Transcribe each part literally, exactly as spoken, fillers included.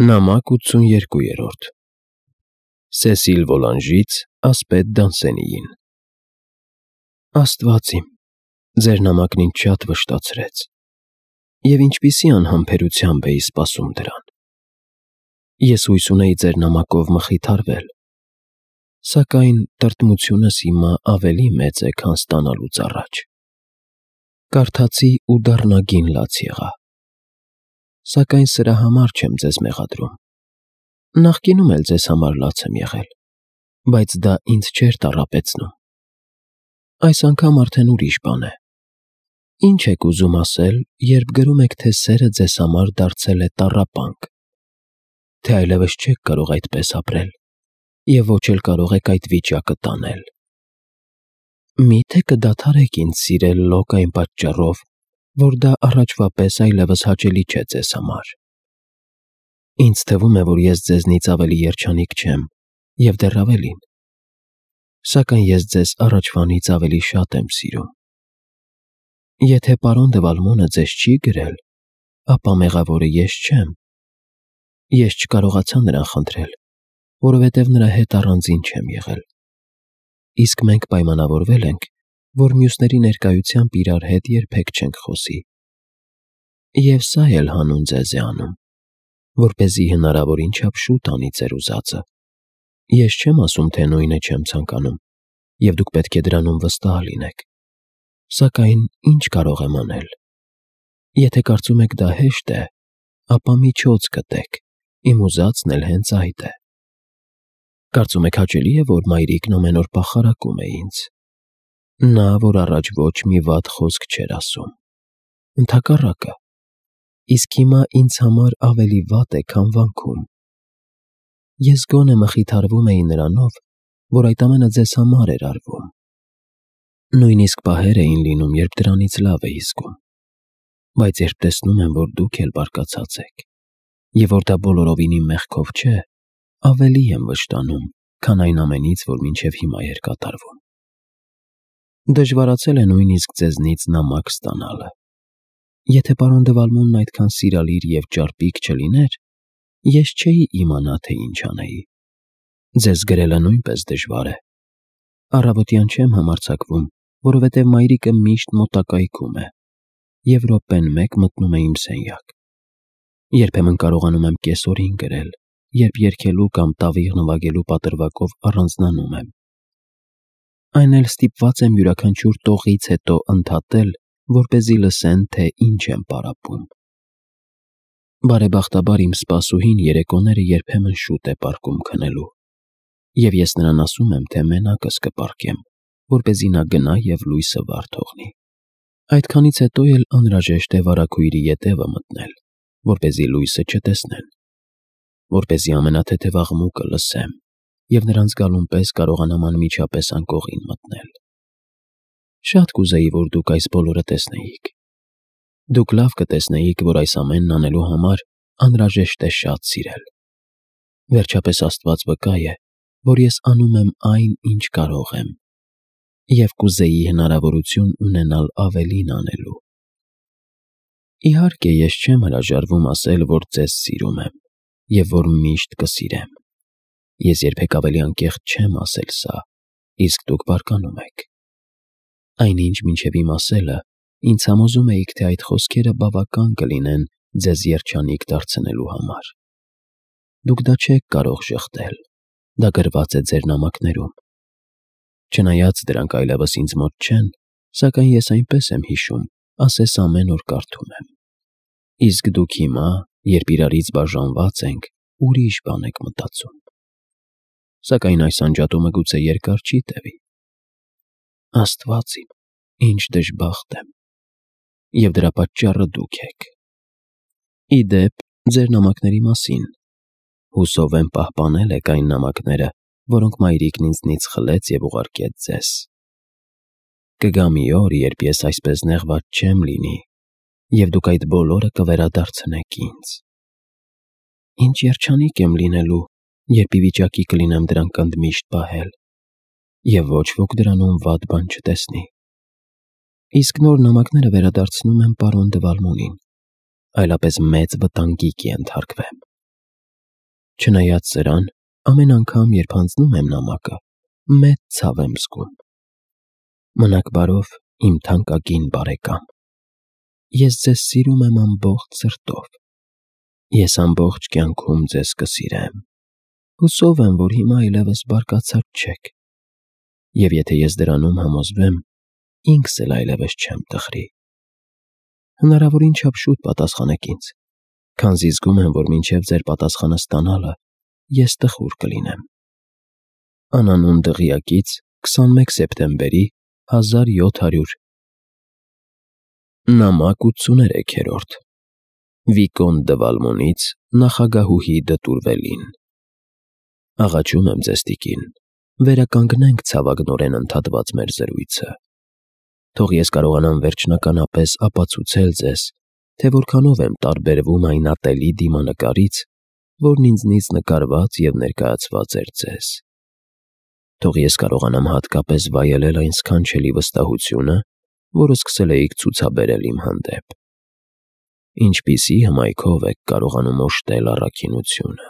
Նամակ ութսուներկուերորդ Սեսիլ Վոլանժից ասպետ Դանսենիին Աստված իմ, ձեր նամակն ինձ շատ վշտացրեց, և ինչպիսի անհամբերությամբ էի սպասում դրան: Ես հույս ունեի ձեր նամակով մխիթարվել, սակայն տրտմությունս հիմա ավելի մեծ է, քան ստանալուց առաջ: Կարդացի ու դառնագին լաց եղա: Սակայն սրա համար չեմ ձեզ մեղադրում: Նախկինում էլ ձեզ համար լաց եմ եղել, բայց դա ինձ չէր տառապեցնում: Այս անգամ արդեն ուրիշ բան է: Ի՞նչ եք ուզում ասել, երբ գրում եք, թե սերը ձեզ համար դարձել է տառապանք, թե այլևս չեք կարող այդպես ապրել և ոչ էլ կարող եք այդ վիճակը տանել: Մի՞թե կդադարեք ինձ սիրել լոկ այն պատճառով, որ դա առաջվա պես այլևս հաճելի չէ ձեզ համար: Ինձ թվում է, որ ես ձեզնից ավելի երջանիկ չեմ և դեռ ավելին, սակայն ես ձեզ առաջվանից ավելի շատ եմ սիրում: Եթե պարոն դը Վալմոնը ձեզ չի գրել, ապա մեղավորը ես չեմ: Ես չկարողացա նրան խնդրել, որովհետև նրա հետ առանձին չեմ եղել: Իսկ մենք պայմանավորվել ենք, որ մյուսների ներկայությամբ իրար հետ երբեք չենք խոսի: Եվ սա էլ հանուն ձեզ է անում, որպեսզի հնարավորին չափ շուտ անի ձեր ուզածը: Ես չեմ ասում, թե նույնը չեմ ցանկանում, և դուք պետք է դրանում վստահ լինեք: Սակայն ի՞նչ կարող եմ անել: Եթե կարծում եք դա հեշտ է, ապա միջոց գտեք, իմ ուզածն էլ հենց այդ է: Կարծում եք հաճելի է, որ մայրիկն ամեն օր պախարակում է ինձ: Նա, որ առաջ ոչ մի վատ խոսք չէր ասում: Ընդհակառակը, իսկ հիմա ինձ համար ավելի վատ է, քան վանքում: Ես գոնե մխիթարվում էի նրանով, որ այդ ամենը ձեզ համար էր արվում: Նույնիսկ պահեր էին լինում, երբ դրանից լավ էի զգում: Բայց երբ տեսնում եմ, որ դուք էլ բարկացած եք, և որ դա բոլորովին իմ մեղքով չէ, ավելի եմ վշտանում, քան այն ամենից, որ մինչև հիմա էր կատարվում: Դժվարացել է նույնիսկ ձեզնից նամակ ստանալը: Եթե պարոն դը Վալմոնն այդքան սիրալիր և ճարպիկ չլիներ, ես չէի իմանա, թե ինչ անեի: Ձեզ գրելը նույնպես դժվար է: Առավոտյան չեմ համարձակվում, որովհետև մայրիկը միշտ մոտակայքում է և րոպեն մեկ մտնում է իմ սենյակ: Երբեմն կարողանում եմ կեսօրին գրել, երբ երգելու կամ տավիղ նվագելու պատրվակով առանձնանում եմ: Այն էլ ստիպված եմ յուրաքանչյուր տողից հետո ընդհատել, որպեսզի լսեն, թե ինչ եմ պարապում: Բարեբախտաբար իմ սպասուհին երեկոները երբեմն շուտ է պառկում քնելու, և ես նրան ասում եմ, թե մենակս կպառկեմ, որպեսզի նա գնա և լույսը վառ թողնի: Այդքանից հետո էլ անհրաժեշտ է վարագույրի ետևը մտնել, որպեսզի լույսը չտեսնեն, որպեսզի ամենաթեթև աղմուկը լսեմ և նրանց գալուն պես կարողանամ անմիջապես անկողին մտնել: Շատ կուզեի, որ դուք այս բոլորը տեսնեիք: Դուք լավ կտեսնեիք, որ այս ամենն անելու համար անհրաժեշտ է շատ սիրել: Վերջապես Աստված վկա է, որ ես անում եմ այն, ինչ կարող եմ, և կուզեի հնարավորություն ունենալ ավելին անելու: Իհարկե ես չեմ հրաժարվում ասել, որ ձեզ սիրում եմ և որ միշտ կսիրեմ: Ես երբեք ավելի անկեղծ չեմ ասել սա, իսկ դուք բարկանում եք: Այնինչ մինչև իմ ասելը ինձ համոզում էիք, թե այդ խոսքերը բավական կլինեն ձեզ երջանիկ դարձնելու համար: Դուք դա չեք կարող ժխտել, դա գրված է ձեր նամակներում: Չնայած դրանք այլևս ինձ մոտ չեն, սակայն ես այնպես եմ հիշում, ասես ամեն օր կարդում եմ: Իսկ դուք հիմա, երբ իրարից բաժանված ենք, ուրիշ բան եք մտածում: Սակայն այս անջատումը գուցե երկար չի տևի: Աստված իմ, ինչ դժբախտ եմ: Եվ դրա պատճառը դուք եք: Ի դեպ, ձեր նամակների մասին: Հուսով եմ պահպանել եք այն նամակները, որոնք մայրիկն ինձնից խլեց և ուղարկեց ձեզ: Կգա մի օր, երբ ես այսպես նեղված չեմ լինի և դուք այդ բոլորը կվերադարձնեք ինձ: Ինչ երջանիկ եմ լինելու, երբ ի վիճակի կլինեմ դրանք ընդմիշտ պահել և ոչ ոք դրանում վատ բան չտեսնի: Իսկ նոր նամակները վերադարձնում եմ պարոն դը Վալմոնին, այլապես մեծ վտանգի կենթարկվեմ: Չնայած սրան, ամեն անգամ, երբ հանձնում եմ նամակը, մեծ ցավ եմ զգում։ Մնաք բարով, իմ թանկագին բարեկամ։ Ես ձեզ սիրում եմ ամբողջ սրտով։ Ես ամբողջ կյանքում ձեզ կսիրեմ։ Հուսով եմ, որ հիմա այլևս բարկացած չեք։ Եվ եթե ես դրանում համոզվեմ, ինքս էլ այլևս չեմ տխրի։ Հնարավորին չափ շուտ պատասխանեք ինձ, քանզի զգում եմ, որ մինչև ձեր պատասխանը ստանալը ես տխուր կլինեմ։ Անանուն դղյակից քսանմեկ սեպտեմբերի հազար յոթ հարյուր Նամակ ութսուներեքերորդ Վիկոն դը Վալմոնից նախագահուհի Դտուրվելին։ Աղաչում եմ ձեզ, տիկին, վերականգնենք ցավագնորեն ընդհատված մեր զրույցը։ Թող ես կարողանամ վերջնականապես ապացուցել ձեզ, թե որքանով եմ տարբերվում այն ատելի դիմանկարից, որն ինձնից նկարված և ներկայացված էր ձեզ։ Թող ես կարողանամ հատկապես վայելել այն սքանչելի վստահությունը, որը սկսել էիք ցուցաբերել իմ հանդեպ։ Ինչպիսի հմայքով եք կարողանում օժտել առաքինությունը։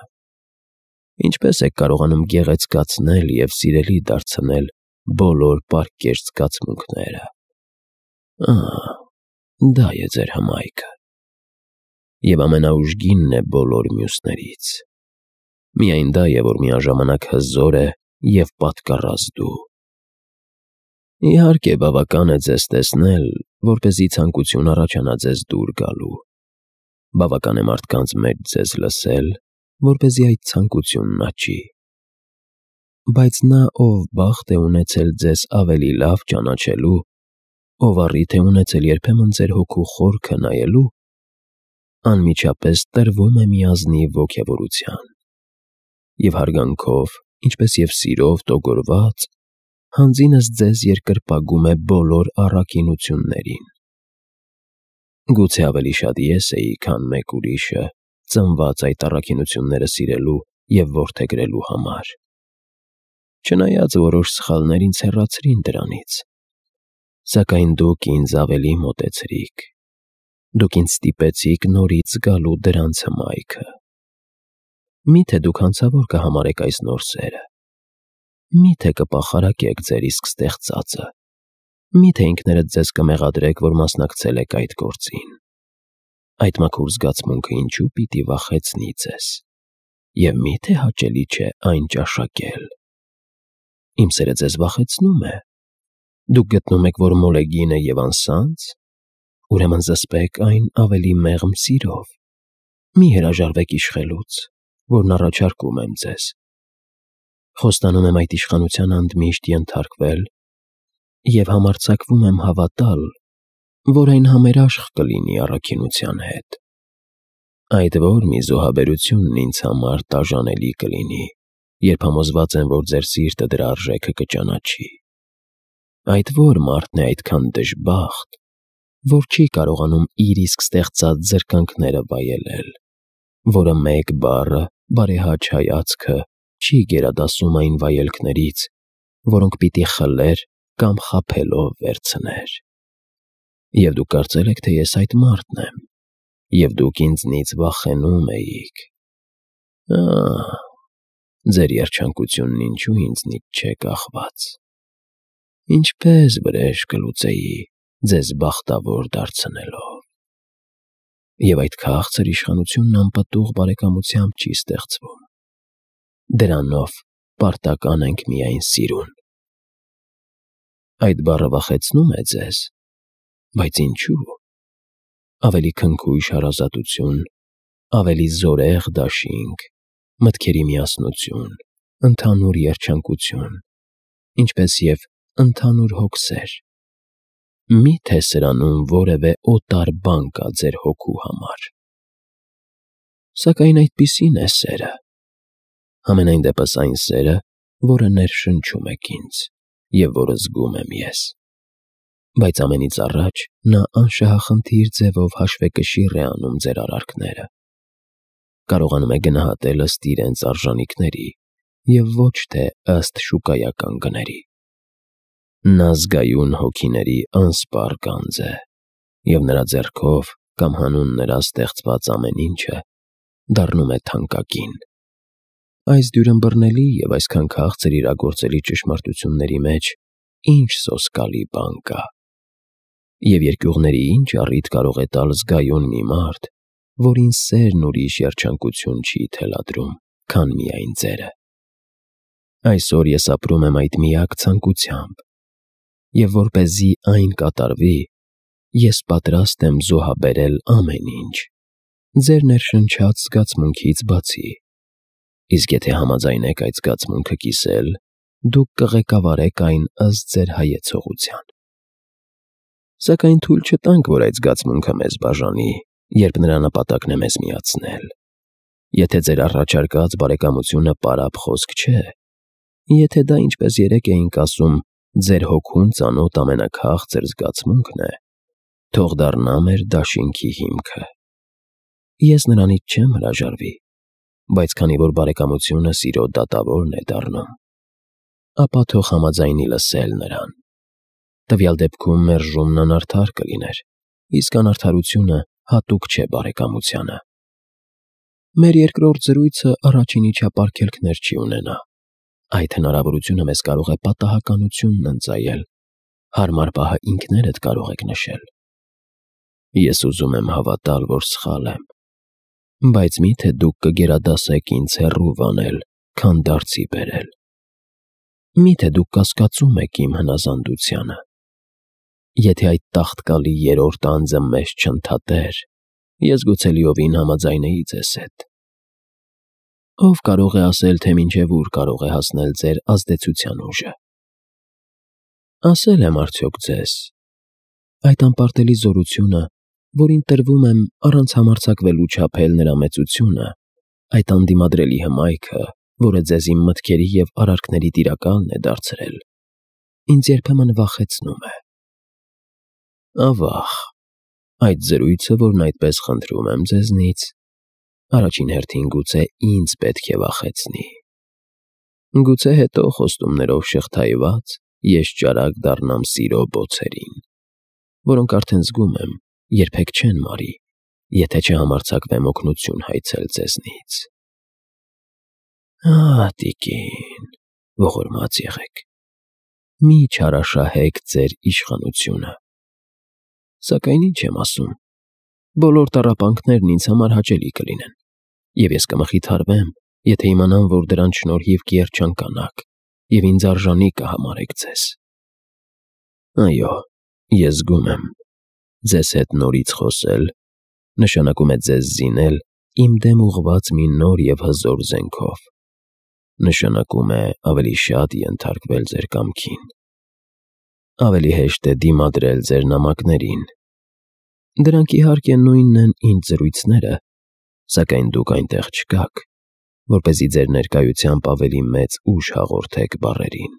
Ինչպես եք կարողանում գեղեցկացնել և սիրելի դարձնել բոլոր պարկեշտ զգացմունքները։ Ահ, դա է ձեր հմայքը։ Եվ ամենաուժգինն է բոլոր մյուսներից։ Միայն դա է, որ միաժամանակ հզոր է և պատկառած դու։ Իհարկե, բավական է ձեզ տեսնել, որպեսզի ցանկություն առաջանա ձեզ դուր գալու։ Բավական է մարդկանց մեջ ձեզ լսել, որպեսզի այդ ցանկությունն աճի։ Բայց նա, ով բախտ է ունեցել ձեզ ավելի լավ ճանաչելու, ով առիթ է ունեցել երբեմն ձեր հոգու խորքը նայելու, անմիջապես տրվում է մի ազնիվ ոգևորության և հարգանքով, ինչպես և սիրով տոգորված, հանձինս ձեզ երկրպագում է բոլոր առաքինություններին։ Գուցե ավելի շատ ես էի, քան մեկ ուրիշը, ծնված այդ առաքինությունները սիրելու և որդեգրելու համար։ Չնայած որոշ սխալներ ինձ հեռացրին դրանից, սակայն դուք ինձ ավելի մոտեցրիք։ Դուք ինձ ստիպեցիք նորից զգալու դրանց հմայքը։ Մի՞թե դուք հանցավոր կհամարեք այս նոր սերը։ Մի՞թե կպախարակեք ձեր իսկ ստեղծածը։ Մի՞թե ինքներդ ձեզ կմեղադրեք, որ մասնակցել եք այդ գործին։ Այդ մաքուր զգացմունքը ինչու պիտի վախեցնի ձեզ։ Եվ մի՞թե հաճելի չէ այն ճաշակել։ Իմ սերը ձեզ վախեցնում է։ Դուք գտնում եք, որ մոլեգին է և անսանց։ Ուրեմն զսպեք այն ավելի մեղմ սիրով։ Մի հրաժարվեք իշխելուց, որն առաջարկում եմ ձեզ։ Խոստանում եմ այդ իշխանության ընդմիշտ ենթարկվել և համարձակվում եմ հավատալ, որ այն համերաշխ կլինի առաքինության հետ։ Այդ որ մի զոհաբերությունն ինձ համար տաժանելի կլինի, երբ համոզված եմ, որ ձեր սիրտը դրա արժեքը կճանաչի։ Այդ որ մարդն է այդքան դժբախտ, որ չի կարողանում իր իսկ ստեղծած զրկանքները վայելել, որը մեկ բառը, բարեհաճ հայացքը չի գերադասում այն վայելքներից, որոնք պիտի խլեր կամ խաբելով վերցներ։ Եվ դուք կարծել եք, թե ես այդ մարդն եմ, և դուք ինձնից վախենում էիք։ Ահ, ձեր երջանկությունն ինչու ինձնից չէ կախված։ Ինչպես վրեժ կլուծեի ձեզ բախտավոր դարձնելով։ Եվ այդ քաղցր իշխանությունն անպտուղ բարեկամությամբ չի ստեղծվում։ Դրանով պարտական ենք միայն սիրուն։ Այդ բառը վախեցնո՞ւմ է ձեզ։ Բայց ինչու՞։ Ավելի քնքուշ հարազատություն, ավելի զորեղ դաշինք, մտքերի միասնություն, ընդհանուր երջանկություն, ինչպես և ընդհանուր հոգսեր։ Մի՞թե սրանում որևէ օտար բան կա ձեր հոգու համար։ Սակայն այդպիսին է սերը։ Համենայն դեպս այն սերը, որը ներշնչում եք ինձ, և որը զգում եմ ես։ Բայց ամենից առաջ նա անշահախնդիր ձևով հաշվեկշիռ է անում ձեր արարքները։ Կարողանում է գնահատել ըստ իրենց արժանիքների և ոչ թե ըստ շուկայական գների։ Նա զգայուն հոգիների անսպառ գանձ է, և նրա ձեռքով կամ հանուն նրա ստեղծված ամեն ինչը դառնում է թանկագին։ Այս դյուրըմբռնելի և այսքան քաղցր իրագործելի ճշմարտությունների մեջ ինչ սոսկալի բան կա։ Եվ երկյուղների ինչ առիթ կարող է տալ զգայուն մի մարդ, որին սերն ուրիշ երջանկություն չի թելադրում, քան միայն ձերը։ Այսօր ես ապրում եմ այդ միակ ցանկությամբ, և որպեսզի այն կատարվի, ես պատրաստ եմ զոհաբերել ամեն ինչ, ձեր ներշնչած զգացմունքից բացի։ Իսկ եթե համաձայնեք այդ զգացմունքը կիսել, դուք կղեկավարեք այն ըստ ձեր հայեցողության։ Սակայն թույլ չտանք, որ այդ զգացմունքը մեզ բաժանի, երբ նրա նպատակն է մեզ միացնել։ Եթե ձեր առաջարկած բարեկամությունը պարապ խոսք չէ, եթե դա, ինչպես երեկ էինք ասում, ձեր հոգուն ծանոթ ամենաքաղցր զգացմունքն է, թող դառնա մեր դաշինքի հիմքը։ Ես նրանից չեմ հրաժարվի, բայց քանի որ բարեկամությունը սիրո դատավորն է դառնում, ապա թող համաձայնի լսել նրան։ Տվյալ դեպքում մերժումն անարդար կլիներ, իսկ անարդարությունը հատուկ չէ բարեկամությանը։ Մեր երկրորդ զրույցը առաջինի չափ արգելքներ չի ունենա։ Այդ հնարավորությունը մեզ կարող է պատահականությունն ընծայել, հարմար պահը ինքներդ կարող եք նշել։ Ես ուզում եմ հավատալ, որ սխալ եմ, բայց մի՞թե դուք կգերադասեք ինձ հեռու վանել, քան դարձի բերել։ Մի՞թե դուք կասկածում եք իմ հնազանդությանը։ Եթե այդ տաղտկալի երրորդ անձը մեզ չընդհատեր, ես գուցե լիովին համաձայնեի ձեզ հետ։ Ո՞վ կարող է ասել, թե մինչև ուր կարող է հասնել ձեր ազդեցության ուժը։ Ասել եմ արդյոք ձեզ. այդ անպարտելի զորությունը, որին տրվում եմ առանց համարձակվելու չափել նրա մեծությունը, այդ անդիմադրելի հմայքը, որը ձեզ իմ մտքերի և արարքների տիրակալն է դարձրել, ինձ երբեմն վախեցնում է։ Ավաղ, այդ զրույցը, որն այդպես խնդրում եմ ձեզնից, առաջին հերթին գուցե ինձ պետք է վախեցնի։ Գուցե հետո խոստումներով շղթայված ես ճարակ դառնամ սիրո բոցերին, որոնք արդեն զգում եմ, երբեք չեն մարի, եթե չհամարձակվեմ օգնություն հայցել ձեզնից։ Ահ, տիկին, ողորմած եղեք, մի չարաշահեք ձեր իշխանությունը։ Սակայն ինչ եմ ասում, բոլոր տառապանքներն ինձ համար հաճելի կլինեն, և ես կմխիթարվեմ, եթե իմանամ, որ դրանց շնորհիվ կերջանկանաք և ինձ արժանի կհամարեք ձեզ։ Այո, ես զգում եմ, ձեզ հետ նորից խոսել նշանակում է ձեզ զինել իմ դեմ ուղղված մի նոր և հզոր զենքով, նշանակում է ավելի շատ ենթարկվել ձեր կամքին, ավելի հեշտ է դիմադրել ձեր նամակներին։ Դրանք իհարկե նույնն են ինձ զրույցները, սակայն դուք այնտեղ չկաք, որպեսզի ձեր ներկայությամբ ավելի մեծ ուժ հաղորդեք բառերին։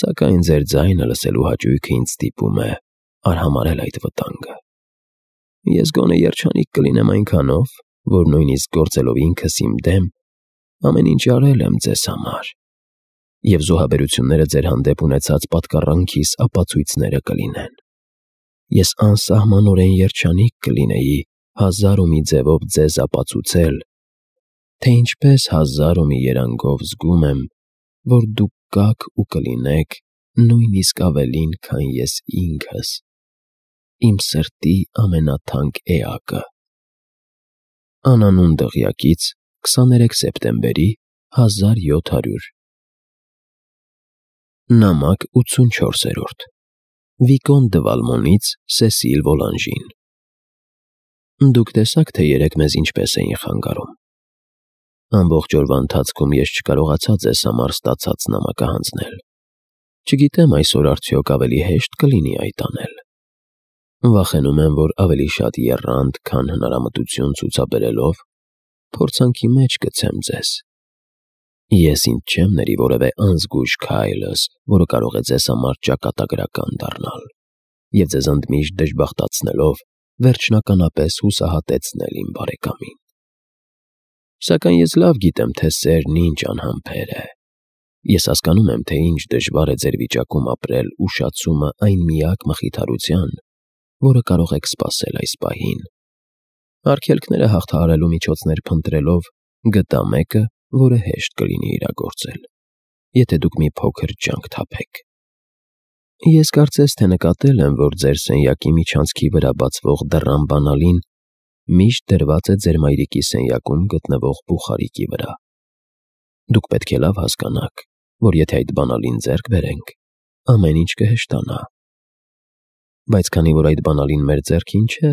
Սակայն ձեր ձայնը լսելու հաճույքը ինձ ստիպում է արհամարհել այդ վտանգը։ Ես գոնե երջանիկ կլինեմ այնքանով, որ նույնիսկ գործելով ինքս իմ դեմ, ամեն ինչ արել եմ ձեզ համար, և զոհաբերությունները ձեր հանդեպ ունեցած պատկառանքիս ապացույցները կլինեն։ Ես անսահմանորեն երջանիկ կլինեի հազար ու մի ձևով ձեզ ապացուցել, թե ինչպես հազար ու մի երանգով զգում եմ, որ դուք կաք ու կլինեք նույնիսկ ավելին, քան ես ինքս, իմ սրտի ամենաթանկ էակը։ Անանուն դղյակից քսաներեք սեպտեմբերի հազար յոթ հարյուր Նամակ ութսունչորսերորդ Վիկոն դը Վալմոնից Սեսիլ Վոլանժին։ Դուք տեսաք, թե երեկ մեզ ինչպես էին խանգարում։ Ամբողջ օրվա ընթացքում ես չկարողացա ձեզ համար ստացած նամակը հանձնել։ Չգիտեմ այսօր արդյոք ավելի հեշտ կլինի այդ անել։ Վախենում եմ, որ ավելի շատ եռանդ, քան հնարամտություն ցուցաբերելով, փորձանքի մեջ գցեմ ձեզ։ Ես ինձ չեմ ների որևէ անզգույշ քայլս, որը կարող է ձեզ համար ճակատագրական դառնալ, և ձեզ ընդմիշտ դժբախտացնելով վերջնականապես հուսահատեցնել իմ բարեկամին։ Սակայն ես լավ գիտեմ, թե սերն ինչ անհամբեր է։ Ես հասկանում եմ, թե ինչ դժվար է ձեր վիճակում ապրել ուշացումը այն միակ մխիթարության, որը կարող եք սպասել այս պահին։ Արգելքները հաղթահարելու միջոցներ փնտրելով գտա մեկը, որը հեշտ կլինի իրագործել, եթե դուք մի փոքր ջանք թափեք։ Ես կարծես թե նկատել եմ, որ ձեր սենյակի միջանցքի վրա բացվող դռան բանալին միշտ դրված է ձեր մայրիկի սենյակում գտնվող բուխարիկի վրա։ Դուք պետք է լավ հասկանաք, որ եթե այդ բանալին ձեռք բերենք, ամեն ինչ կհեշտանա։ Բայց քանի որ այդ բանալին մեր ձեռքին չէ,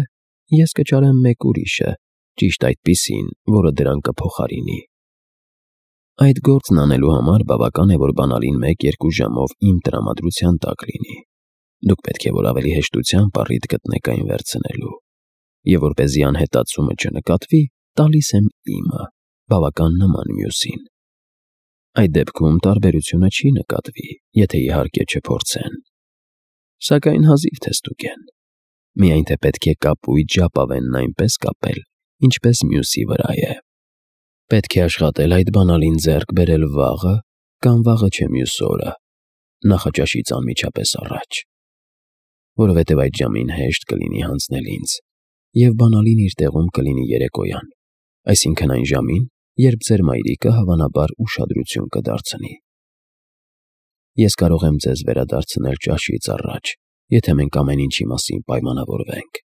ես կճարեմ մեկ ուրիշը, ճիշտ այդպիսին, որը դրան կփոխարինի։ Այդ գործն անելու համար բավական է, որ բանալին մեկ-երկու ժամով իմ տրամադրության տակ լինի։ Դուք պետք է որ ավելի հեշտությամբ առիթ գտնեք այն վերցնելու, եւ որպեսզի անհետացումը չնկատվի, տալիս եմ իմը, բավական նման մյուսին։ Այդ դեպքում տարբերությունը չի նկատվի, եթե իհարկե չփորձեն։ Սակայն հազիվ թե ստուգեն։ Միայն թե պետք է կապույտ ժապավենն այնպես կապել, ինչպես մյուսի վրա է։ Պետք է աշխատել այդ բանալին ձեռք բերել վաղը կամ վաղը չէ մյուս օրը, նախաճաշից անմիջապես առաջ, որովհետև այդ ժամին հեշտ կլինի հանձնել ինձ, և բանալին իր տեղում կլինի երեկոյան, այսինքն այն ժամին, երբ ձեր մայրիկը հավանաբար ուշադրություն կդարձնի։ Ես կարող եմ ձեզ վերադարձնել ճաշից առաջ, եթե մենք ամեն ինչի մասին պայմանավորվենք։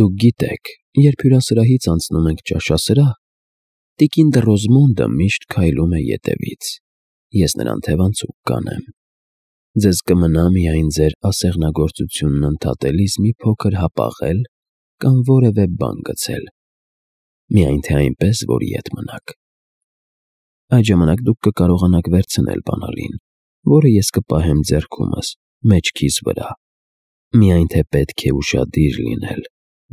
Դուք գիտեք, երբ հյուրասրահից անցնում ենք ճաշասրահ, տիկին Դռոզմոնդը միշտ քայլում է ետևից, ես նրան թևանցուկ կանեմ։ Ձեզ կմնա միայն ձեր ասեղնագործությունն ընդհատելիս մի փոքր հապաղել կամ որևէ բան գցել, միայն թե այնպես, որ ետ մնաք։ Այդ ժամանակ դուք կկարողանաք վերցնել բանալին, որը ես կպահեմ ձեռքումս, մեջքիս վրա, միայն թե պետք է ուշադիր լինել,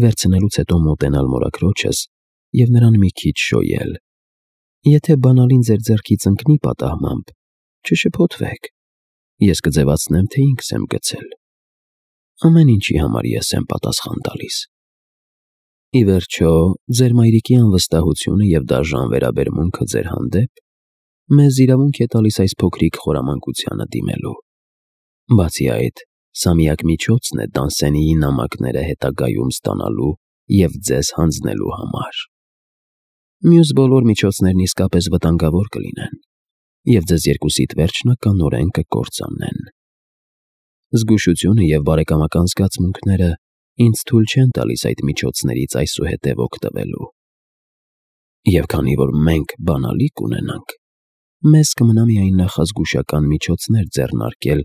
վերցնելուց հետո մոտենալ մորաքրոջս և նրան մի քիչ շոյել։ Եթե բանալին ձեր ձեռքից ընկնի պատահմամբ, չշփոթվեք, ես կձևացնեմ, թե ինքս եմ գցել։ Ամեն ինչի համար ես եմ պատասխան տալիս։ Ի վերջո, ձեր մայրիկի անվստահությունը և դաժան վերաբերմունքը ձեր հանդեպ մեզ իրավունք է տալիս այս փոքրիկ խորամանկությանը դիմելու։ Բացի այդ, սա միակ միջոցն է Դանսենիի նամակները հետագայում ստանալու և ձեզ հանձնելու համար։ Մյուս բոլոր միջոցներն իսկապես վտանգավոր կլինեն, և ձեզ երկուսիդ վերջնականորեն կկործանեն։ Զգուշությունը և բարեկամական զգացմունքները ինձ թույլ չեն տալիս այդ միջոցներից այսուհետև օգտվելու։ Եվ քանի որ մենք բանալի կունենանք, մեզ կմնա միայն նախազգուշական միջոցներ ձեռնարկել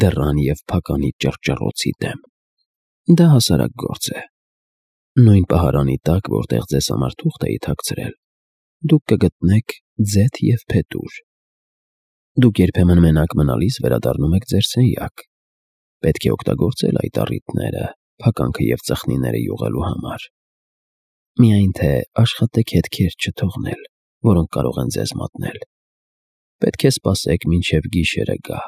դռան և փականի ճռճռոցի դեմ։ Դա հասարակ գործ է։ Նույն պահարանի տակ, որտեղ ձեզ համար թուղթ էի թաքցրել, դուք կգտնեք ձեթ և փետուր։ Դուք երբեմն մենակ մնալիս վերադառնում եք ձեր սենյակ։ Պետք է օգտագործել այդ առիթները փականքը և ծխնիները յուղելու համար։ Միայն թե աշխատեք հետքեր չթողնել, որոնք կարող են ձեզ մատնել։ Պետք է սպասեք մինչև գիշերը գա,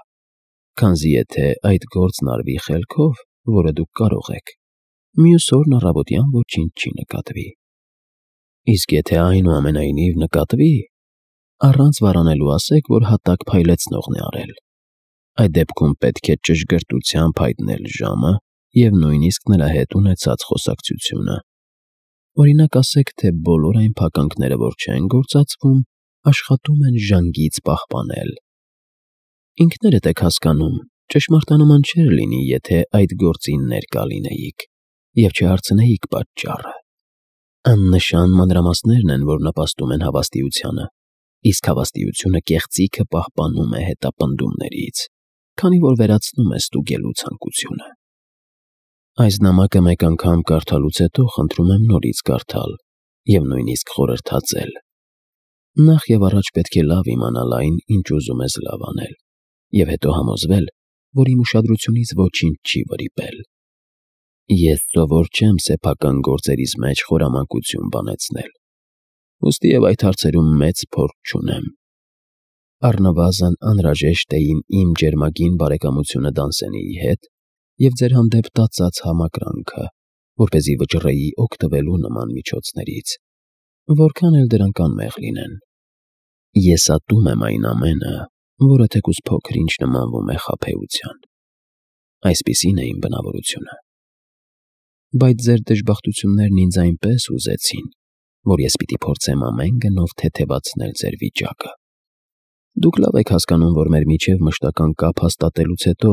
քանզի եթե այդ գործն արվի խելքով, որը դուք կարող եք, մյուս օրն առավոտյան ոչինչ չի նկատվի։ Իսկ եթե այնուամենայնիվ նկատվի, առանց վարանելու ասեք, որ հատակ փայլեցնողն է արել։ Այդ դեպքում պետք է ճշգրտությամբ հայտնել ժամը և նույնիսկ նրա հետ ունեցած խոսակցությունը։ Օրինակ ասեք, թե բոլոր այն փականքները, որ չեն գործածվում, աշխատում են ժանգից պահպանել։ Ինքներդ եք հասկանում, ճշմարտանման չէր լինի, եթե այդ գործին ներկա լինեիք և չհարցնեիք պատճառը։ Աննշան մանրամասներն են, որ նպաստում են հավաստիությանը, իսկ հավաստիությունը կեղծիքը պահպանում է հետապնդումներից, քանի որ վերացնում է ստուգելու ցանկությունը։ Այս նամակը մեկ անգամ կարդալուց հետո խնդրում եմ նորից կարդալ և նույնիսկ խորհրդածել։ Նախ և առաջ պետք է լավ իմանալ այն, ինչ ուզում ես լավ անել, և հետո համոզվել, որ իմ ուշադրությունից ոչինչ չի վրիպել։ Ես սովոր չեմ սեփական գործերիս մեջ խորամանկություն բանեցնել, ուստիև այդ հարցերում մեծ փորձ չունեմ։ Առնվազն անհրաժեշտ է իմ ջերմագին բարեկամությունը Դանսենիի հետ և ձեր հանդեպ տածած համակրանքը, որպեսզի վճռեի օգտվելու նման միջոցներից, որքան էլ դրանք անմեղ լինեն։ Ես ատում եմ այն ամենը, որը թեկուզ փոքր-ինչ նմանվում է խաբեության։ Այսպիսին է իմ բնավորությունը։ Բայց ձեր դժբախտություններն ինձ այնպես ուզեցին, որ ես պիտի փորձեմ ամեն գնով թեթևացնել ձեր վիճակը։ Դուք լավ եք հասկանում, որ մեր միջև մշտական կապ հաստատելուց հետո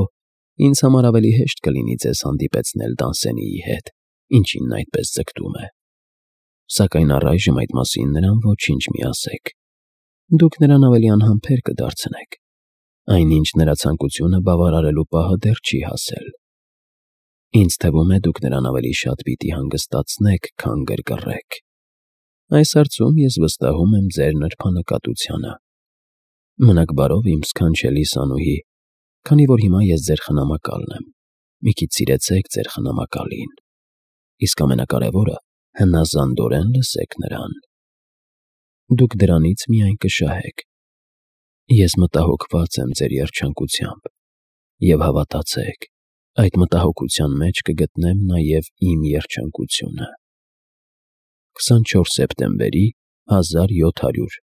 ինձ համար ավելի հեշտ կլինի ձեզ հանդիպեցնել Դանսենիի հետ, ինչին նա այդպես ձգտում է։ Սակայն առայժմ այդ մասին նրան ոչինչ մի ասեք։ Դուք նրան ավելի անհամբեր կդարձնեք։ Այնինչ նրա ցանկությունը բավարարելու պահը դեռ չի հասել։ Ինձ թվում է, դուք նրան ավելի շատ պիտի հանգստացնեք, քան գրգռեք։ Այս հարցում ես վստահում եմ ձեր նրբանկատությանը։ Մնաք բարով, իմ սքանչելի Սանուհի, քանի որ հիմա ես ձեր խնամակալն եմ։ Մի քիչ սիրեցեք ձեր խնամակալին։ Իսկ ամենակարևորը, հնազանդորեն լսեք նրան։ Դուք դրանից միայն կշահեք։ Ես մտահոգված եմ ձեր երջանկությամբ, և հավատացեք, այդ մտահոգության մեջ կգտնեմ նաև իմ երջանկությունը։ քսանչորս սեպտեմբերի հազար յոթ հարյուր